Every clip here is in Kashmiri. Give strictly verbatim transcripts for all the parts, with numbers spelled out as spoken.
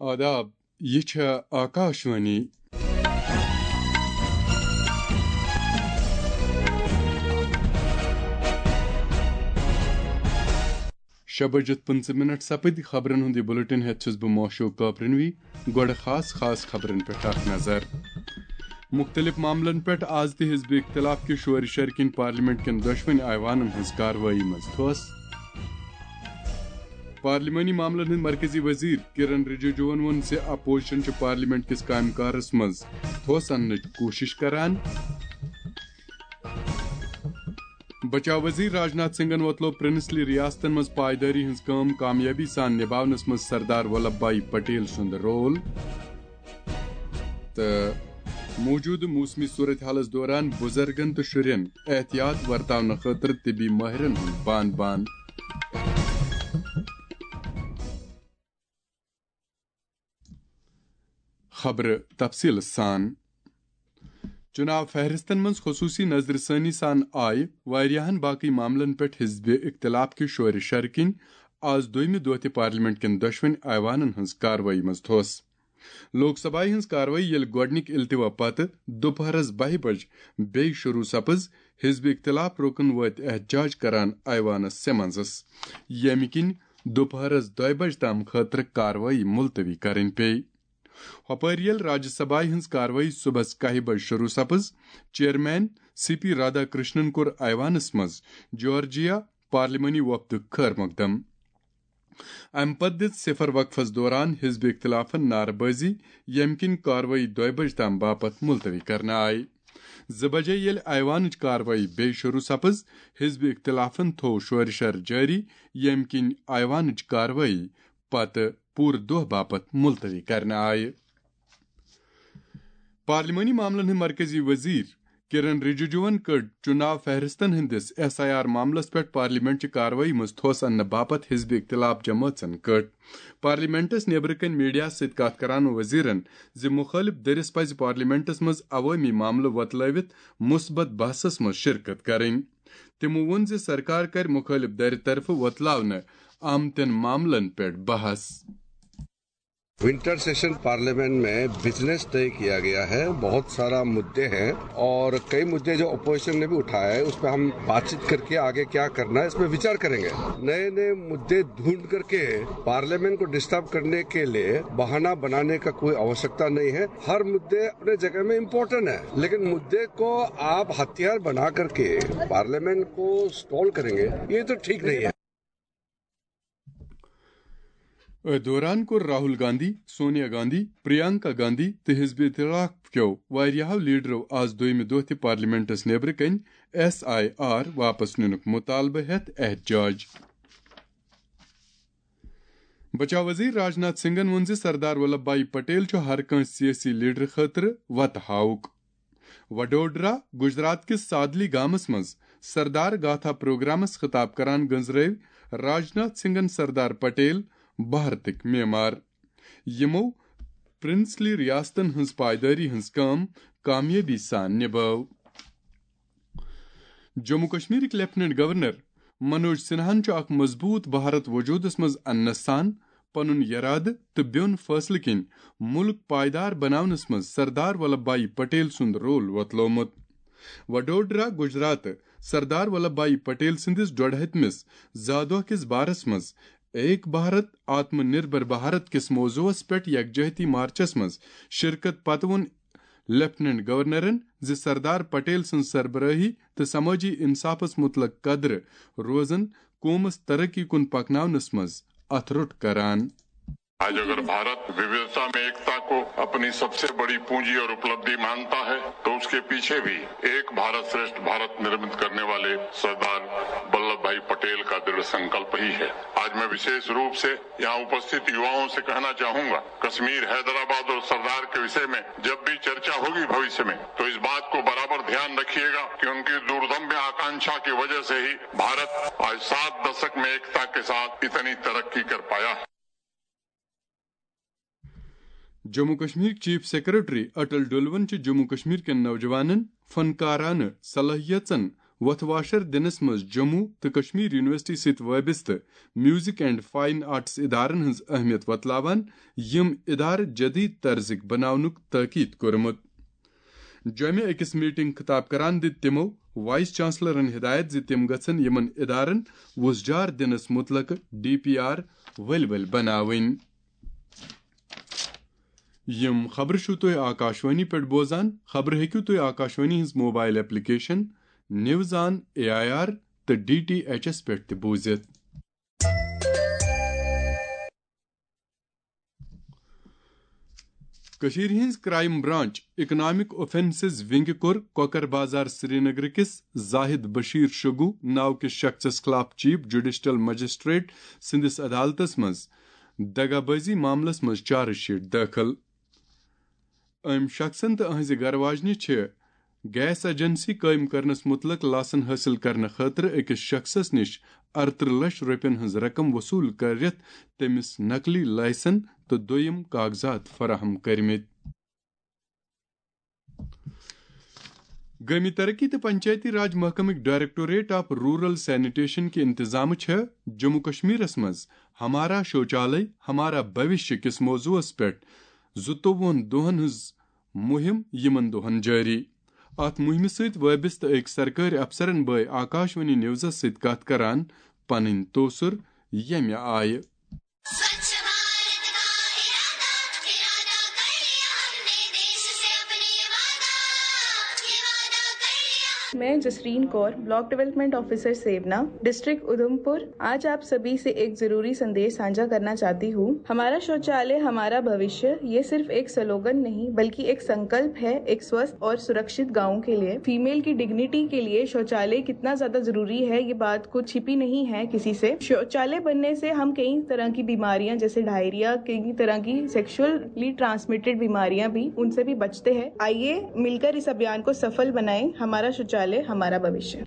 آداب، یہِ چھےٚ آکاشوانی۔ شےٚ بجِتھ پٕنٛژٕہ منٹ سپٕدۍ۔ خبرن ہُنٛد یہِ بُلٹن ہٮ۪تھ چھُس بہٕ موشوق کاپرنوی۔ گۄڈٕ خاص خاص خبرن پٮ۪ٹھ اکھ نظر۔ مُختٔلِف معاملن پٮ۪ٹھ آز تہِ حزب اختلاف کہِ شورِ شرِ کِنۍ پارلیمنٹ کٮ۪ن دۄشوٕنی ایوانن ہٕنٛز کاروٲیی منٛز تھوس۔ پارلیمانی معاملن ہٕنٛدۍ مرکزی وزیر کرن رجیجوَن ووٚن زِ اپوزیشن چھُ پارلیمنٹ کِس کامہِ کارس منٛز تھوس اننٕچ کوٗشش کران۔ بچاو وزیر راجناتھ سنگھن وۄتلوو پرنسلی ریاستن منٛز پائیدٲری ہٕنٛز کٲم کامیٲبی سان نباونس منٛز سردار ولبھ بھائی پٹیل سُنٛد رول۔ تہٕ موجودٕ موسمی صورتحالس دوران بُزرگن تہٕ شُرٮ۪ن احتیاط ورتاونہٕ خٲطرٕ طبی مٲہرن ہُنٛد بان بان۔ خبرٕ تفصیٖل سان۔ چُناو فہرستن منٛز خصوٗصی نظرِ ثٲنی سان آیہِ واریاہن باقٕے معاملن پٮ۪ٹھ حزب اختلاف کہِ شورِ شرِ کِنۍ آز دوٚیمہِ دۄہ تہِ پارلیمنٹ کٮ۪ن دۄشوٕنی ایوانن ہٕنٛز کاروٲیی منٛز تھوس۔ لوک سبھایہ ہٕنٛز کاروٲیی ییٚلہِ گۄڈٕنِکۍ التوا پتہٕ دُپہرس بَہہِ بجہِ بیٚیہِ شروٗع سپٕز، حزب اختلاف رُکن وٲتۍ احتجاج کران ایوانس سیمنزس، ییٚمہِ کِنۍ دُپہرس دۄیہِ بجہِ تام خٲطرٕ کاروٲیی ملتوی کرٕنۍ پیٚیہِ۔ ہۄپٲرۍ ییٚلہِ راجیہ سبھایہ ہٕنٛز کاروٲیی صُبحس کاہہِ بجہِ شروٗع سپٕز، چیئرمین سی پی رادھا کرشنن کوٚر ایوانس منٛز جارجیا پارلیمانی وفدُک خٲر مقدم۔ امہِ پتہٕ دِژ صفر وقفس دوران حزب اختلافن نعرٕ بٲزی، ییٚمہِ کِنۍ کاروٲیی دۄیہِ بجہِ تام باپتھ ملتوی کرنہٕ آیہِ۔ زٕ بجے ییٚلہِ ایوانٕچ کاروٲیی بیٚیہِ شروٗع سپٕز، حزب اختلافن تھوو شورِ شر جٲری، ییٚمہِ کِنۍ ایوانٕچ کاروٲیی پتہٕ پوٗرٕ دۄہ باپتھ ملتوی کرنہٕ آیہِ۔ پارلیمانی معاملن ہٕنٛدۍ مرکزی وزیر کرن رجیجوَن کٔڈ چُناو فہرستن ہٕنٛدِس ایس آئی آر معاملس پٮ۪ٹھ پارلیمنٹ چہِ کاروٲیی منٛز تھوس اننہٕ باپتھ حزب اختلاف جمٲژن کٔڈ۔ پارلیمنٹس نیبرٕ کنہِ میڈیاہس سۭتۍ کتھ کران وزیرن زِ مُخٲلف دٔرِس پزِ پارلیمنٹس منٛز عوٲمی معاملہٕ وۄتلٲوِتھ مثبت بحثس منٛز شرکت کرٕنۍ۔ تِمو ووٚن زِ سرکار کرِ مُخٲلف دٔرِ طرفہٕ وۄتلاونہٕ آمتٮ۪ن معاملن پٮ۪ٹھ بحث۔ विंटर सेशन पार्लियामेंट में बिजनेस तय किया गया है। बहुत सारा मुद्दे हैं और कई मुद्दे जो अपोजिशन ने भी उठाया है, उस पर हम बातचीत करके आगे क्या करना है, इस पर विचार करेंगे। नए नए मुद्दे ढूंढ करके पार्लियामेंट को डिस्टर्ब करने के लिए बहाना बनाने का कोई आवश्यकता नहीं है। हर मुद्दे अपने जगह में इम्पोर्टेंट है, लेकिन मुद्दे को आप हथियार बना करके पार्लियामेंट को स्टॉल करेंगे, ये तो ठीक नहीं है। أتھۍ دوران کوٚر راہل گاندھی، سونیا گاندھی، پریانکا گاندھی تہٕ حزب اختلاف کیو واریاہو لیڈرو آز دوٚیمہِ دۄہ تہِ پارلیمنٹس نیبرٕ کنۍ ایس آئی آر واپس نِنُک مطالبہٕ ہیتھ احتجاج۔ بچاو وزیر راجناتھ سنگھن ووٚن زِ سردار ولبھ بھائی پٹیل چھُ ہر کٲنٛسہِ سیٲسی لیڈرٕ خٲطرٕ وتہٕ ہاوُک۔ وڈوڈرا، گجرات کِس سادلی گامس منٛز سردار گاتھا پروگرامس خطاب کران گٔنزرٲوۍ راجناتھ سنگھن سردار پٹیل بھارتٕکۍ معمار، یِمو پرنسلی ریاستن ہٕنٛز پائیدٲری ہٕنٛز کٲم کامیٲبی سان نبٲو۔ جموں کشمیرٕکۍ لیفٹیننٹ گورنر منوج سنہاہن چھُ اکھ مضبوط بھارت وجودس منٛز اننس سان پنُن یرادٕ تہٕ بیوٚن فٲصلہٕ کِنۍ مُلک پائیدار بناونس منٛز سردار ولبھ بھائی پٹیل سُنٛد رول وۄتلومُت۔ وڈوڈرا، گجرات، سردار ولبھ بھائی پٹیل سٕنٛدِس ڈۄڈ ہتمِس زا دۄہ کِس بارس منٛز ایک بھارت آتم نربھر بھارت کِس موضوعس پٮ۪ٹھ یکجہتی مارچس منٛز شرکت پتہٕ ووٚن لیفٹیننٹ گورنرن زِ سردار پٹیل سٕنٛز سربرٲہی تہٕ سمٲجی انصافس متعلق قدرٕ روزن قومس ترقی کُن پکناونس منٛز اتھٕ روٚٹ کران۔ आज अगर भारत विविधता में एकता को अपनी सबसे बड़ी पूंजी और उपलब्धि मानता है, तो उसके पीछे भी एक भारत श्रेष्ठ भारत निर्मित करने वाले सरदार वल्लभ भाई पटेल का दृढ़ संकल्प ही है। आज मैं विशेष रूप से यहाँ उपस्थित युवाओं से कहना चाहूंगा, कश्मीर, हैदराबाद और सरदार के विषय में जब भी चर्चा होगी भविष्य में, तो इस बात को बराबर ध्यान रखिएगा कि उनकी दूरदम्य आकांक्षा की वजह से ही भारत आज सात दशक में एकता के साथ इतनी तरक्की कर पाया है। جموں کشمیر چیف سیکرٹری اٹل ڈولون چھِ جموں کشمیر کٮ۪ن نوجوانن، فنکارانہٕ صلٲحیژن، وۄتھٕ واشر دِنس منٛز جموں تہٕ کشمیر یونیورسٹی سۭتۍ وابستہٕ میوزک اینڈ فائن آرٹس ادارن ہٕنٛز اہمیت وۄتلاوان، یِم ادارٕ جدید طرزٕکۍ بناونُک تاکید کوٚرمُت۔ جوٚمہِ أکِس میٹنگ خطاب کران دِتۍ تِمو وائس چانسلرن ہدایت زِ تِم گژھن یِمن ادارن وُژھ جار دِنس مُتعلقہٕ ڈی پی آر ؤلۍ ؤلۍ بناوٕنۍ۔ یِم خبرٕ چھِو تُہۍ آکاشوانی پٮ۪ٹھ بوزان۔ خبرٕ ہیٚکِو تُہۍ آکاشوانی ہٕنٛز mobile application news on A I R تہٕ ڈی ٹی ایچ ایس پٮ۪ٹھ تہِ بوٗزِتھ۔ کٔشیٖرِ ہٕنٛز کرائم برانچ اکنامک اوفینسز ونگہِ کوٚر کوکر بازار سرینگر کِس زاہد بشیر شگو ناو کِس شخصس خلاف چیف جوڈیشل مجسٹریٹ سٕنٛدِس عدالتس منٛز دغابٲزی معاملس منٛز چارج شیٹ دٲخل۔ أمۍ شخصن تہٕ أہنٛزِ گرٕ واجنہِ چھِ گیس ایجنسی قٲیِم کرنس مُتعلق لاسن حٲصِل کرنہٕ خٲطرٕ أکِس شخصس نِش ارترٕہ لچھ رۄپین ہٕنٛز رقم وصوٗل کٔرِتھ تٔمِس نقلی لائسن تہٕ دوٚیِم کاغذات فراہم کٔرمٕتۍ۔ گٲمی ترقی تہٕ Panchayati Raj محکمٕکۍ directorate of rural sanitation کہِ انتظامہٕ چھِ جموں کشمیرس منٛز ہمارا شوچالے ہمارا بھوشیہ کِس موضوعس پٮ۪ٹھ زٕتووُہن دۄہن ہٕنٛز مُہِم یِمن دۄہن جٲری۔ اتھ مُہِمہِ سۭتۍ وٲبستہٕ أکۍ سرکٲرۍ افسرن بٲے آکاشوانی نیوزس سۭتۍ کتھ کران پنٕنۍ توسر ییٚمہِ آیہِ۔ میں جسرین کور، block development officer سیونا، district Udhampur, آج آپ سبھی سے ایک ضروری سندیش سانجھا کرنا چاہتی ہوں۔ ہمارا شوچالیہ ہمارا بھوشیہ، یہ صرف ایک سلوگن نہیں بلکہ ایک سنکلپ ہے ایک سوستھ اور سرکشت گاؤں کے لیے۔ فیمیل کی ڈگنیٹی کے لیے شوچالیہ کتنا زیادہ ضروری ہے، یہ بات کو چھپی نہیں ہے کسی سے۔ شوچالیہ بننے سے ہم کئی طرح کی بیماریاں جیسے ڈائریا، کئی طرح کی سیکشلی ٹرانسمیٹڈ بیماریاں بھی، ان سے بھی بچتے ہیں۔ آئیے مل کر اس ابھیان کو سفل بنائیں۔ ہمارا شوچالیہ ہمارا بھوشیہ۔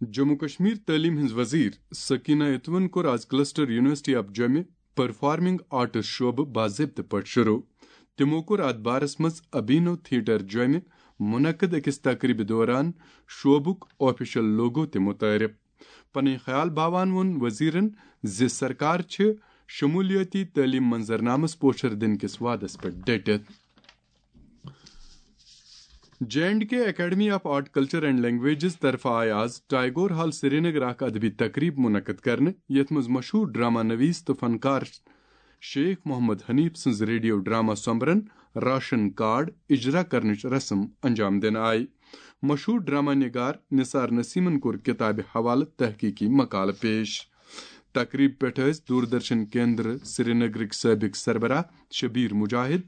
جموں کشمیر تعلیم ہٕنٛز وزیر سکینہ اتوَن کوٚر آز کلسٹر یونیورسٹی آف جوٚمہِ پرفارمنگ آرٹس شعبہٕ باضٲبطہٕ پٲٹھۍ شروع۔ تِمو کوٚر اتھ بارس منٛز ابینو تھیٹر جوٚمہِ منعقد أکِس تقریبہِ دوران شعبُک آفیشل لوگو تہِ متعارف۔ پنٕنۍ خیال باوان ووٚن وزیرن زِ سرکار چھِ شمولیٲتی تعلیم منظرنامس پوچھر دِنہٕ کِس وعدس پٮ۪ٹھ ڈٔٹِتھ۔ J and K academy of art culture and languages طرفہٕ آیہِ آز ٹائیگور ہال سرینگر اکھ ادبی تقریب منعقد کرنہٕ، یتھ منٛز مشہور ڈرامہ نویس تہٕ فنکار شیخ محمد حنیف سٕنٛز ریڈیو ڈرامہ سومبرن راشن کارڈ اجرا کرنٕچ رسم انجام دِنہٕ آیہِ۔ مشہور ڈرامہ نگار نثار نسیمن کوٚر کتابہِ حوالہٕ تحقیقی مقالہٕ پیش۔ تقریب پٮ۪ٹھ ٲسۍ دوردرشن کیندر سرینگرٕکۍ سٲبق سربراہ شبیر مجاہد،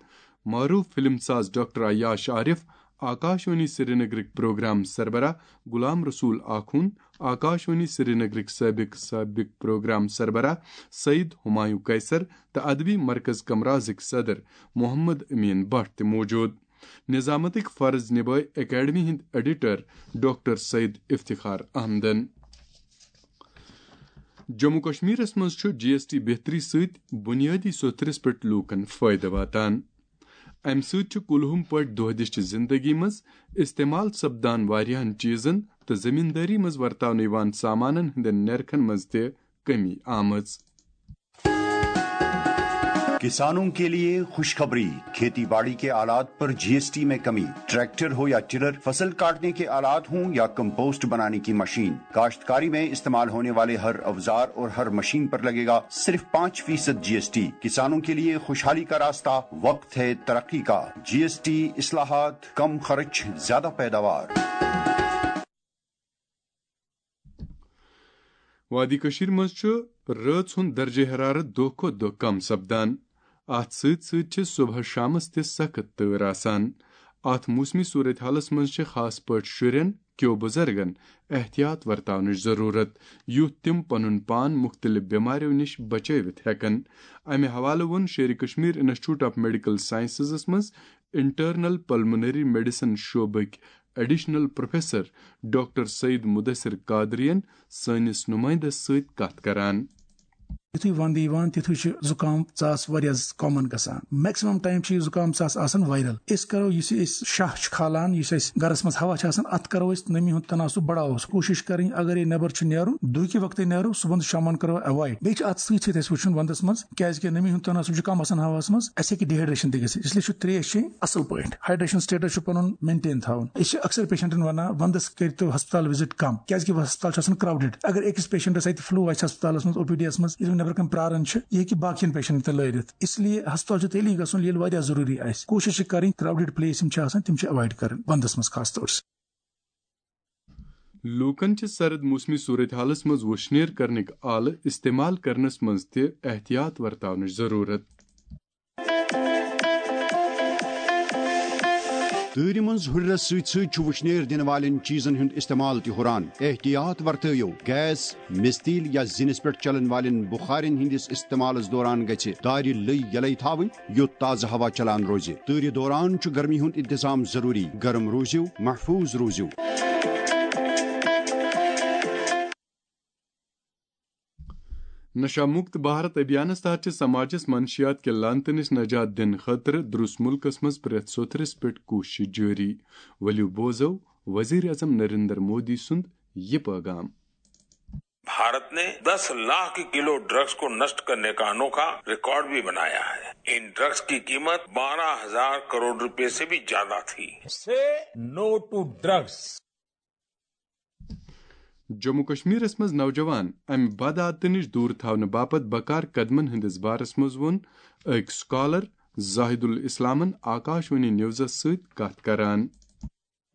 معروف فلم ساز ڈاکٹر عیاش عارف، آکاشوانی سرینگرٕکۍ پروگرام سربراہ غلام رسول آخون، آکاشوانی سرینگرٕکۍ سٲبق سٲبق پروگرام سربراہ سعید ہمایوں قیصر تہٕ ادبی مرکز کمرازٕکۍ صدر محمد امین بٹ تہِ موجود۔ نظامتٕکۍ فرض نبٲوۍ اکیڈمی ہٕنٛدۍ ایڈیٹر ڈاکٹر سید افتخار احمدن۔ جموں کشمیرس منٛز چھُ جی ایس ٹی بہتری سۭتۍ بنیٲدی سوٚتھرس پٮ۪ٹھ لوٗکن فٲیدٕ واتان۔ امہِ سۭتۍ چھُ کُلہُم پٲٹھۍ دۄہ دِشچہِ زندگی منٛز استعمال سپدان واریاہن چیزن تہٕ زمیندٲری منٛز ورتاونہٕ یِوان سامانن ہٕنٛدٮ۪ن نرخن منٛز تہِ کمی آمٕژ۔ کسانوں کے لیے خوشخبری، کھیتی باڑی کے آلات پر جی ایس ٹی میں کمی، ٹریکٹر ہو یا ٹرر، فصل کاٹنے کے آلات ہوں یا کمپوسٹ بنانے کی مشین، کاشتکاری میں استعمال ہونے والے ہر اوزار اور ہر مشین پر لگے گا صرف پانچ فیصد جی ایس ٹی۔ کسانوں کے لیے خوشحالی کا راستہ، وقت ہے ترقی کا۔ جی ایس ٹی اصلاحات، کم خرچ، زیادہ پیداوار۔ وادی کٔشیٖرِ منٛز چھُ رٲژ ہُنٛد درجہ حرارت دۄہ کھۄتہٕ دۄہ کم سپدان۔ اتھ سۭتۍ سۭتۍ چھِ صبحس شامس تہِ سخت تۭر آسان۔ اتھ موسمی صورتحالس منٛز چھِ خاص پٲٹھۍ شُرٮ۪ن کیو بُزرگن احتیاط ورتاونٕچ ضروٗرت، یُتھ تِم پنُن پان مُختٔلِف بٮ۪مارٮ۪و نِش بچٲوِتھ ہٮ۪کن۔ امہِ حوالہٕ ووٚن شیرِ کشمیر انسٹیٹیوٹ آف میڈیکل سائنسزس منٛز انٹرنل پلمونری میڈیسن شعبٕکۍ additional professor doctor Syed Mudasir قادرین سٲنِس نمائندس سۭتۍ کتھ کران۔ یُتھُے وَندٕ یِوان، تِتھُے چھُ زُکام ژاس واریاہ کامن گژھان۔ میکسِمم ٹایم چھُ یہِ زُکام ژاس آسان وائرل۔ أسۍ کرو، یُس یہِ أسۍ شاہ چھُ کھالان، یُس اَسہِ گرس منٛز ہوا چھُ آسان، اَتھ کرو أسۍ نمی ہُنٛد تناسب بڑاوو۔ کوٗشِش کرٕنۍ، اگر یہِ نٮ۪بر چھُ نیرُن، دُہکہِ وقتٕے نیرو، صُبحن تہٕ شامن کرو ایوائڈ۔ بیٚیہِ چھُ اَتھ سۭتۍ سۭتۍ اَسہِ وٕچھُن، وَندس منٛز کیازِ کہِ نمی ہُنٛد تناسب چھُ کم آسان ہواہَس منٛز، اَسہِ ہیٚکہِ ڈیہائیڈریشن تہِ گٔژھِتھ۔ اس لیے چھُ ترٛیش چیٚنۍ اصل پٲٹھۍ۔ ہائیڈریشن سٹیٹس چھُ پنُن مینٹین تھاوُن۔ أسۍ چھِ اکثر پیشنٹن ونان، وندس کٔرتو ہسپتال وزٹ کم، کیازِ کہِ ہسپتال چھُ آسان کراؤڈڈ۔ اگر أکِس پیشنٹس اتہِ فلو آسہِ ہسپتالس منٛز، او پی ڈی یس منٛز، ییٚلہِ نٮ۪برٕ کنہِ پراران چھِ، یہِ ہیٚکہِ باقین پیشنٹن تہِ لٲرِتھ۔ اس لیے ہسپتال چھُ تیٚلی گژھُن، ییٚلہِ واریاہ ضروٗری آسہِ۔ کوٗشش چھِ کرٕنۍ، کراؤڈڈ پلیس یِم چھِ آسان، تِم چھِ ایوائڈ کرٕنۍ ونٛدس منٛز خاص طور سے۔ لوٗکن چھِ سرد موسمی صورتحالس منٛز وُشنیر کرنٕکۍ آلہٕ استعمال کرنس منٛز تہِ احتیاط ورتاونٕچ ضروٗرت۔ تۭرِ منٛز ہُرِرس سۭتۍ سۭتۍ چھُ وُشنیر دِنہٕ والٮ۪ن چیٖزن ہُنٛد استعمال تہِ ہُران۔ احتیاط ورتٲیِو، گیس، مِستیٖل یا زِنِس پٮ۪ٹھ چلن والٮ۪ن بُخارٮ۪ن ہٕنٛدِس استعمالس دوران گژھِ دارِ لٔۍ یَلَے تھاوٕنۍ، یُتھ تازٕ ہوا چلان روزِ۔ تۭرِ دوران چھُ گرمی ہُنٛد انتظام ضروٗری۔ گرم روٗزِو، محفوٗظ روٗزِو۔ نشہ مکت بھارت ابھیانس تحت چھِ سماجس منشیات کہِ لعنتہٕ نِش نجات دِنہٕ خٲطرٕ درُس مُلکس منٛز پرٛٮ۪تھ سوٚتھرِس پٮ۪ٹھ کوٗشش جٲری۔ ؤلِو بوزو وزیر اعظم نریندر مودی سُنٛد یہِ پٲغام۔ भारत ने दस लाख किलो ड्रग्स को नष्ट करने का अनोखा रिकॉर्ड भी बनाया है। इन ड्रग्स की कीमत बारह हजार करोड़ रुपए से भी ज्यादा थी। Say no to drugs. Jammu کشمیرس منٛز نوجوان امہِ بد عادتہٕ نِش دوٗر تھاونہٕ باپتھ بکار قدمن ہٕنٛدِس بارس منٛز ووٚن أکۍ سکالر زاہد الاسلامن آکاش وانی نیوزس سۭتۍ کتھ کران۔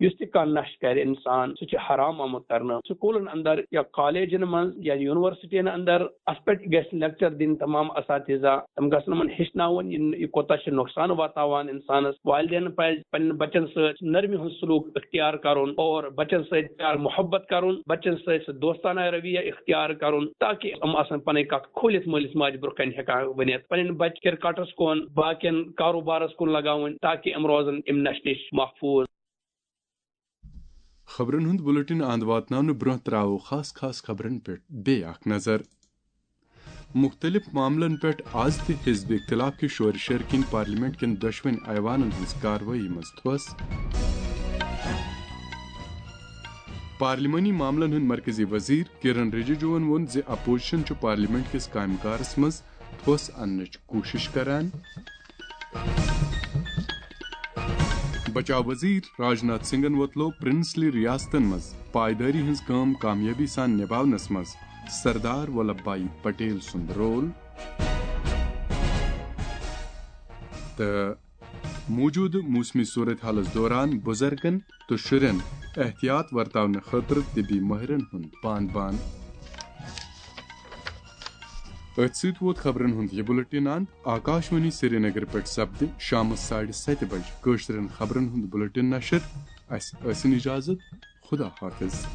یُس تہِ کانٛہہ نشہٕ کرِ انسان، سُہ چھُ حرام آمُت کرنہٕ۔ سکوٗلن اندر یا کالجن منٛز یا یونیورسٹین اندر اتھ پٮ۪ٹھ گژھِ لیکچر دِنۍ تمام اساتذہ، تِم گژھن یِمن ہیٚچھناوُن یہِ یہِ کوٗتاہ چھُ نۄقصان واتناوان انسانس۔ والدینن پزِ پننٮ۪ن بچن سۭتۍ نرمی ہُنٛد سلوک اختیار کرُن اور بچن سۭتۍ پیار محبت کرُن، بچن سۭتۍ سُہ دوستانہ رویہ اختیار کرُن، تاکہ یِم آسن پنٕنۍ کتھ کھوٗلِتھ مٲلِس ماجہِ برونٛہہ کنہِ ہیٚکان ؤنِتھ۔ پنٕنۍ بچہِ کرکٹس کُن، باقین کاروبارس کُن لگاوٕنۍ، تاکہ یِم روزن امہِ نشہٕ نِش محفوٗظ۔ خبرن ہُنٛد بُلٹن اند واتناونہٕ برونٛہہ تراوو خاص خاص خبرن پٮ۪ٹھ بیٚیہِ اکھ نظر۔ مُختٔلِف معاملن پٮ۪ٹھ از تہِ حزب اختلاف کہِ شورِ شرِ کِنۍ پارلیمنٹ کٮ۪ن دۄشوٕنۍ ایوانن ہٕنٛز کاروٲیی منٛز تھوٚس۔ پارلیمانی معاملن ہُنٛد مرکزی وزیر کرن رجیجوَن ووٚن زِ اپوزیشن چھُ پارلیمنٹ کِس کامہِ کارس منٛز تھوٚس اننٕچ کوٗشش کران۔ بچاو وزیر راجناتھ سنگھن ووتلو پرنسلی ریاستن منٛز پائیدٲری ہٕنٛز کٲم کامیٲبی سان نباونس منٛز سردار ولبھ بھائی پٹیل سُنٛد رول۔ تہٕ موجودٕ موسمی صورت حالس دوران بُزرگن تہٕ شُرٮ۪ن احتیاط ورتاونہٕ خٲطرٕ طبی مٲہرن ہُنٛد بان بان۔ أتھۍ سۭتۍ ووت خبرن ہُنٛد یہِ بُلٹن اند۔ آکاشوانی سرینگر پٮ۪ٹھ سپدِ شامس ساڑِ ستہِ بجہِ کٲشرٮ۪ن خبرن ہُنٛد بُلٹن نشر۔ اسہِ ٲسِن اجازت۔ خدا حافظ۔